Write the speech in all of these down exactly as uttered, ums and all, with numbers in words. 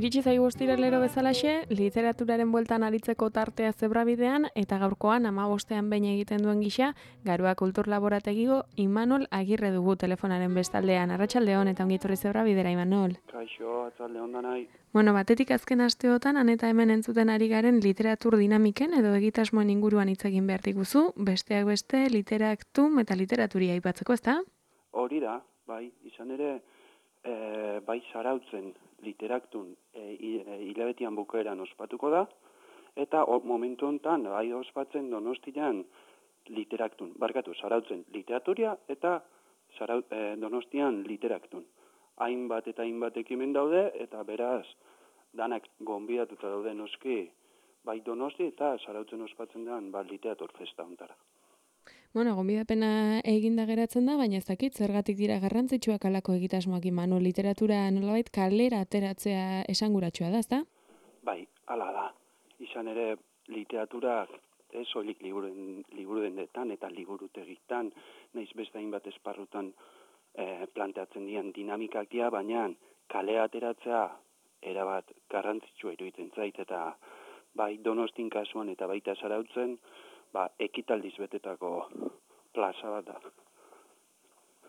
Iritsi zaigu ostiralero bezalaxe, literaturaren bueltan aritzeko tartea zebrabidean eta gaurkoan hamabostean behin egiten duen gisa, Garoa Kultur Laborategiko Imanol Agirre dugu telefonaren bestaldean. Arratsaldeon eta ongi etorri zebrabidera, Imanol. Kaixo, atzaldeon danai. Bueno, batetik azken asteotan han eta hemen entzuten ari garen literatur dinamiken edo egitasmoen inguruan hitz egin behar diguzu, besteak beste literaktum eta literaturia aipatzeko, ezta? Hori da, bai, izan ere, e, bai zarautzen literaktun e, hilabetian bukaeran ospatuko da, eta o, momentu honetan, bai ospatzen Donostian literaktun, barkatu, zarautzen literaturia eta zarau, e, Donostian literaktun. Hainbat eta hainbat ekimen daude, eta beraz, danak gonbidatuta daude noski, bai Donosti eta zarautzen ospatzen den, ba, literatur festa ontara. Bueno, gonbidapena eginda geratzen da, baina ez dakit, zergatik dira garrantzitsuak alako egitasmoak Imanol, literatura nolabait kalera ateratzea esanguratsua da, ezta? Bai, hala da. Izan ere, literaturak ez soilik liburuen, liburudendetan eta liburutegitan, naiz beste hainbat esparrutan eh, planteatzen dian dinamikak dira, baina kalera ateratzea erabat garrantzitsua iruditzen zait, eta bai Donostin kasuan eta baita zarautzen, ba, ekitaldiz betetako plaza bat da.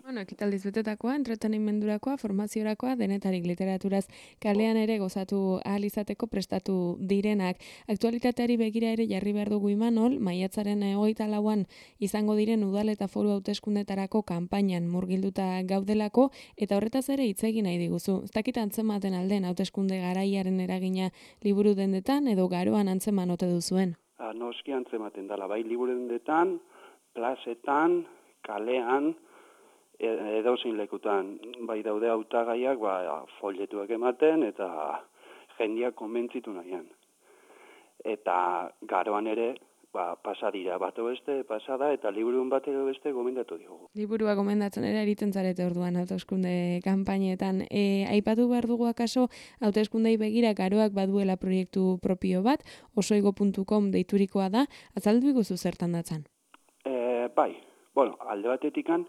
Bueno, ekitaldiz betetakoa, entretenimendurakoa, formaziorakoa, denetarik literaturaz kalean ere gozatu ahal izateko prestatu direnak. Aktualitateari begira ere jarri behar dugu Imanol, maiatzaren hogeita lauan izango diren udal eta foru hauteskundetarako kanpainan murgilduta gaudelako, eta horretaz ere hitz egin nahi diguzu. Ez dakit antzematen alden hauteskunde garaiaren eragina liburu dendetan edo Garoan antzeman ote duzuen? A, noski antzematen dela, bai liburudendetan, plazetan, kalean, edozein lekutan, bai daude hautagaiak, ba, folletuak ematen, eta jendeak konbentzitu nahian. Eta Garoan ere, ba, pasadira bat beste, pasada, eta liburun bat edo beste gomendatu diogu. Liburua gomendatzen ere eriten zarete orduan hauteskunde kanpainetan. E, aipatu behar dugu akaso, hauteskundei begira Garoak baduela proiektu propio bat, osoigo puntu com deiturikoa da, azaldu iguzu zertan datzan? E, bai, bueno, alde batetikan,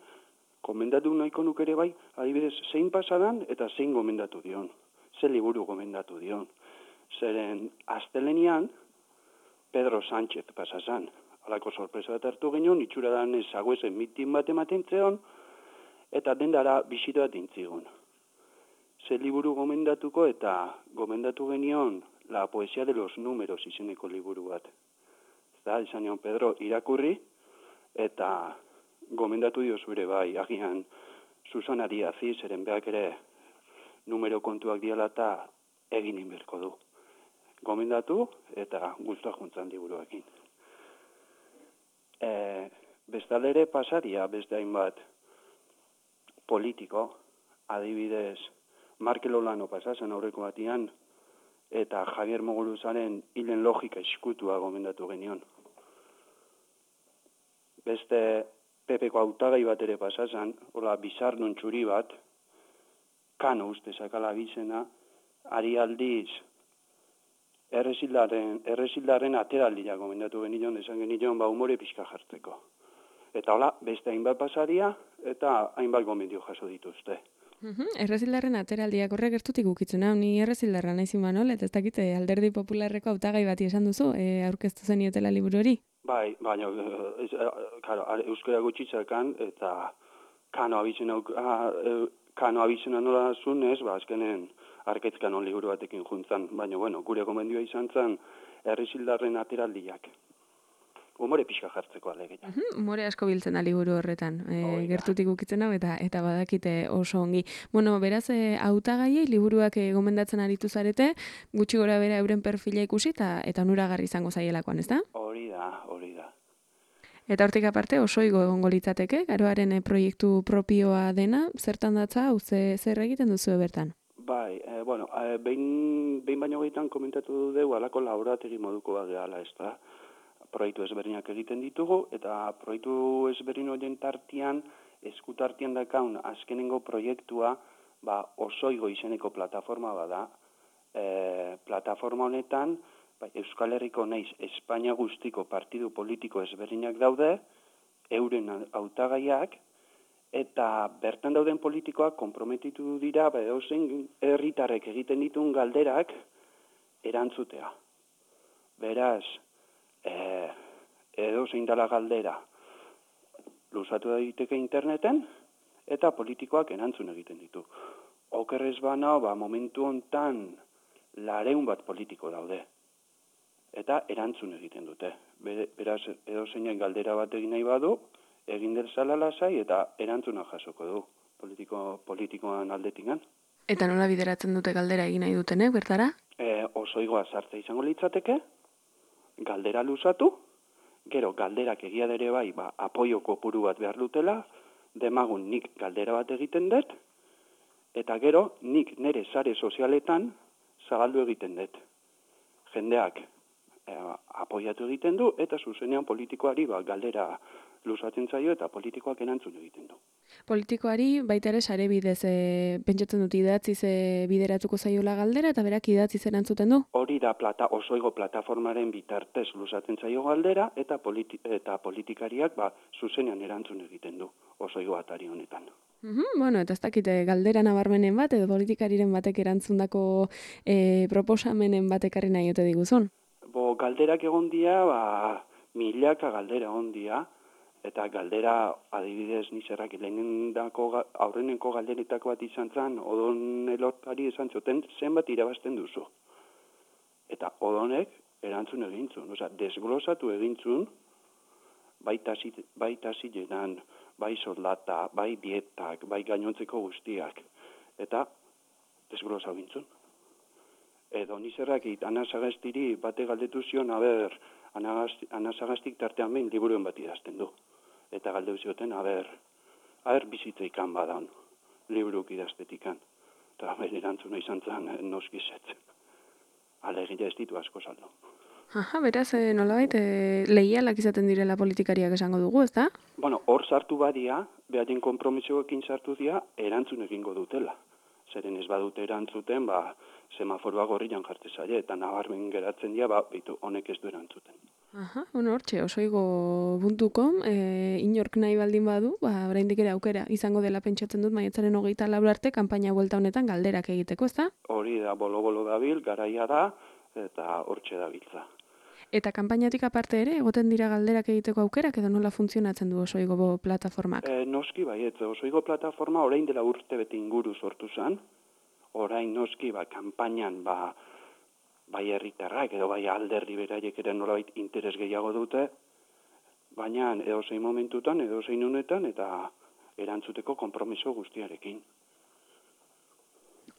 gomendatu nahiko nuke ere bai, adibidez, zein pasadan eta zein gomendatu dion. Ze liburu gomendatu dion. Zeren, astelenian, Pedro Sánchez pasazan. Halako sorpresa bat hartu genion, itxura dan ezaguezen mitin bat ematen zeon, eta dendara bisita bat intzigun. Ze liburu gomendatuko eta gomendatu genion La poesia de los números izeneko liburu bat. Eta izan nion Pedro irakurri, eta gomendatu dio zure bai, agian Susana Diazi, zeren behak ere numero kontuak diala eta egin inberko du. Gomendatu eta guztua juntzan liburuekin. E, Bestaldere pasaria, beste hainbat politiko, adibidez, Markel Olano pasazen aurreko batian, eta Javier Moguruzaren hilen logika eskutua gomendatu genion. Beste Pepeko hautagai bat ere pasazan, hola bizarnun txuri bat, Kano uste sakala bizena, ari aldiz, errezildarren, errezildarren ateraldia gomendatu genion, esan genion, ba humore pixka jartzeko. Eta hola, beste hainbat pasaria, eta hainbat gomendio jaso dituzte. Uhum, errezildarren ateraldiak horrek gertutik ukitzen, hau, ni errezildarra naiz Imanol, eta ez dakite alderdi popularreko hautagai bati esan duzu, e, aurkeztu zeniotela liburu hori? Bai, baina, ez, claro, euskara gutxitzakan, eta Kano abizena, Kano abizena nola zunez, ba, azkenen Arkaitzkanon liburu batekin juntzan, baina, bueno, gure gomendioa izan zen errezildarren ateraldiak. Humore pixka jartzeko alegeia. Uhum, humore asko biltzen da liburu horretan, e, gertutik ukitzen hau eta eta badakite oso ongi. Bueno, beraz, e, hautagaiei liburuak e, gomendatzen aritu zarete, gutxi gora bera euren perfila ikusi eta eta onuragarri izango zaielakoan, ezta? Hori da, hori da. Eta hortik aparte osoigo egongo litzateke, Garoaren e, proiektu propioa dena, zertan datza, hau ze, zer egiten duzu bertan? Bai, e, bueno, e, behin, behin baino gehitan komentatu dugu alako laborategi moduko bat gehala, ez da? proiektu ezberdinak egiten ditugu, eta proiektu ezberdin horien tartian, eskutartian dakaun azkenengo proiektua, ba, Osoigo izeneko plataforma bada. E, plataforma honetan, ba, Euskal Herriko naiz Espainia guztiko partidu politiko ezberdinak daude, euren hautagaiak, eta bertan dauden politikoak konprometitu dira, ba, edozein herritarrek egiten dituen galderak erantzutea. Beraz, e, edozein dela galdera luzatu daiteke interneten, eta politikoak erantzun egiten ditu. Okerrez bana, ba, momentu hontan lareun bat politiko daude. Eta erantzun egiten dute. Beraz, edozeinak galdera bat egin nahi badu, egin derzala lasai eta erantzuna jasoko du politiko, politikoan aldetikan. Eta nola bideratzen dute galdera egin nahi dutenek, bertara? E, Osoigoa sartzea izango litzateke, galdera luzatu, gero galderak egia dere bai, ba, apoio kopuru bat behar dutela, demagun nik galdera bat egiten dut, eta gero nik nire sare sozialetan zabaldu egiten dut. Jendeak e, apoiatu egiten du, eta zuzenean politikoari ba, galdera luzatzen zaio eta politikoak erantzun egiten du. Politikoari baita ere sare bidez e, pentsatzen dut idatziz e, bideratuko zaiola galdera eta berak idatziz erantzuten du? Hori da plata, Osoigo plataformaren bitartez luzatzen zaio galdera eta, politi, eta politikariak ba, zuzenean erantzun egiten du Osoigo atari honetan. Uhum, bueno, eta ez dakite galdera nabarmenen bat edo politikariren batek erantzundako e, proposamenen batekarri nahi ote diguzun? Bo, galderak egon dia, ba, milaka galdera egon dia, eta galdera, adibidez, nizerrak lehenendako aurrenenko galderetako bat izan zen, odon elortari esan zuten zenbat irabazten duzu. Eta odonek erantzun egintzun, oza, desglosatu egintzun, bai tasilenan, bai soldata, bai dietak, bai gainontzeko guztiak, eta desglosatu egintzun. Edo nizerrak it, Ana Sagastiri bate galdetu zion, aber, Ana Sagastik tartean behin liburuen bat idazten du. Eta galdeu zioten, aber, aber bizitzeikan badan, liburuk idaztetikan. Eta bere erantzuna izan zen, noskizet. Alegia ez ditu asko saldo. Aha, beraz, e, nolabait, e, lehialak izaten direla politikariak esango dugu, ez da? Bueno, hor sartu badia, behaien konpromisoekin sartu dira, erantzun egingo dutela. Zeren ez badute erantzuten, ba, semaforoa gorrian jarte zaile, eta nabarmen geratzen dira, ba, bitu, honek ez du erantzuten. Aha, bueno, hortxe, osoigo puntu com, e, inork nahi baldin badu, ba, oraindik ere aukera izango dela pentsatzen dut maiatzaren hogeita lau arte, kanpaina buelta honetan galderak egiteko, ez da? Hori da, bolo-bolo dabil, garaia da, eta hortxe dabiltza. Eta kanpainatik aparte ere, egoten dira galderak egiteko aukerak, edo nola funtzionatzen du Osoigo plataformak? E, noski baiet, Osoigo plataforma orain dela urte bete inguru sortu zen, orain noski, ba, kanpainan, ba, bai herritarrak edo bai alderdi beraiek ere nolabait interes gehiago dute, baina edozein momentutan, edozein unetan, eta erantzuteko konpromiso guztiarekin.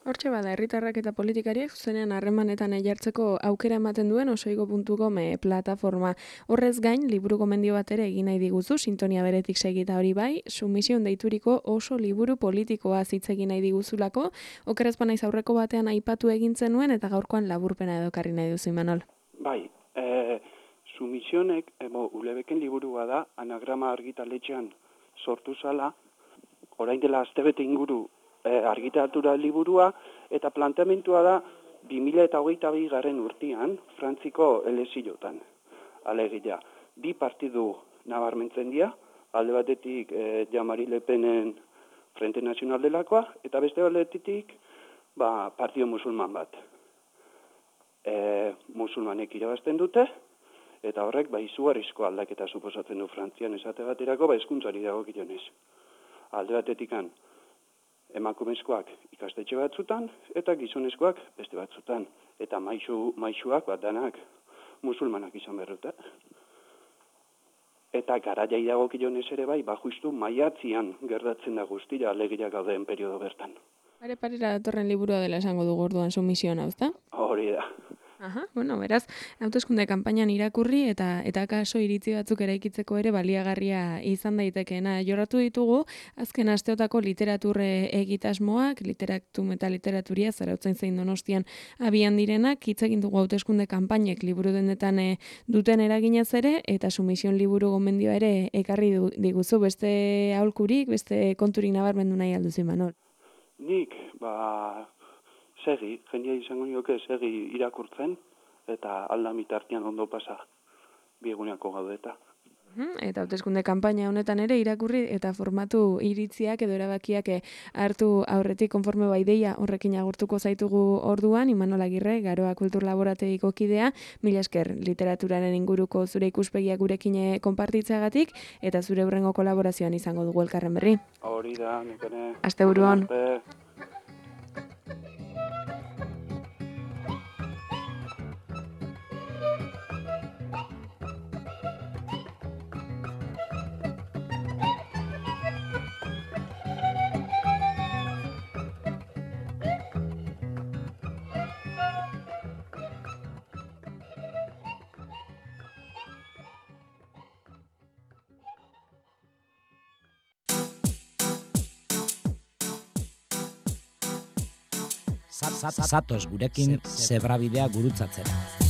Hortxe bada, herritarrak eta politikariek zuzenean harremanetan jartzeko aukera ematen duen osoigo puntu com plataforma. Horrez gain, liburu gomendio bat ere egin nahi diguzu, sintonia beretik segita hori bai, sumision deituriko oso liburu politikoa hitz egin nahi diguzulako, okerez banaiz aurreko batean aipatu egin zenuen eta gaurkoan laburpena edo karri nahi duzu, Imanol. Bai, e, sumisionek, ebo, ulebeken liburua da, anagrama argitaletxean sortu zala, orain dela astebete inguru argitaratura liburua, eta planteamentua da bi mila hogeita bi garren urtean, Frantziko elezilotan. Alegia, bi partidu nabarmentzen dira, alde batetik eh, Jean-Marie Le Penen Frente Nacional delakoa, eta beste batetik ba, partido musulman bat. E, musulmanek irabazten dute, eta horrek ba, izugarrizko aldaketa suposatzen du Frantzian esate baterako, ba, hezkuntzari dagokionez. Alde batetikan, emakumezkoak ikastetxe batzutan, eta gizonezkoak beste batzutan. Eta maixu, maixuak bat danak musulmanak izan berrute. Eta garaiai dagokionez ere bai, ba justu maiatzian gertatzen da guztira alegia gauden periodo bertan. Pare parera datorren liburua dela esango dugu orduan sumisioa, ezta? Hori da. Aha, bueno, beraz, hauteskunde kanpainan irakurri eta eta kaso iritzi batzuk eraikitzeko ere baliagarria izan daitekeena. Jorratu ditugu azken asteotako literaturre egitasmoak, literatum eta literaturia Zarautzen zein Donostian abian direnak, hitz egin dugu hauteskunde kanpainek liburu dendetan e, duten eraginez ere eta Sumision liburu gomendioa ere ekarri du, diguzu beste aholkurik, beste konturik nabarmendu nahi alduzu Imanol. Nik, ba, segi, jendia izango nioke segi irakurtzen, eta aldamit artean ondo pasa bieguneako gaudeta. Eta hauteskunde kanpaina honetan ere irakurri eta formatu iritziak edo erabakiak hartu aurretik konforme bai deia horrekin agurtuko zaitugu orduan, Imanol Agirre, Garoa Kultur Laborategiko kidea, mila esker literaturaren inguruko zure ikuspegiak gurekin konpartitzeagatik eta zure hurrengo kolaborazioan izango dugu elkarren berri. Hori da, nekene. Asteburu on. Zatoz gurekin zebrabidea gurutzatzera.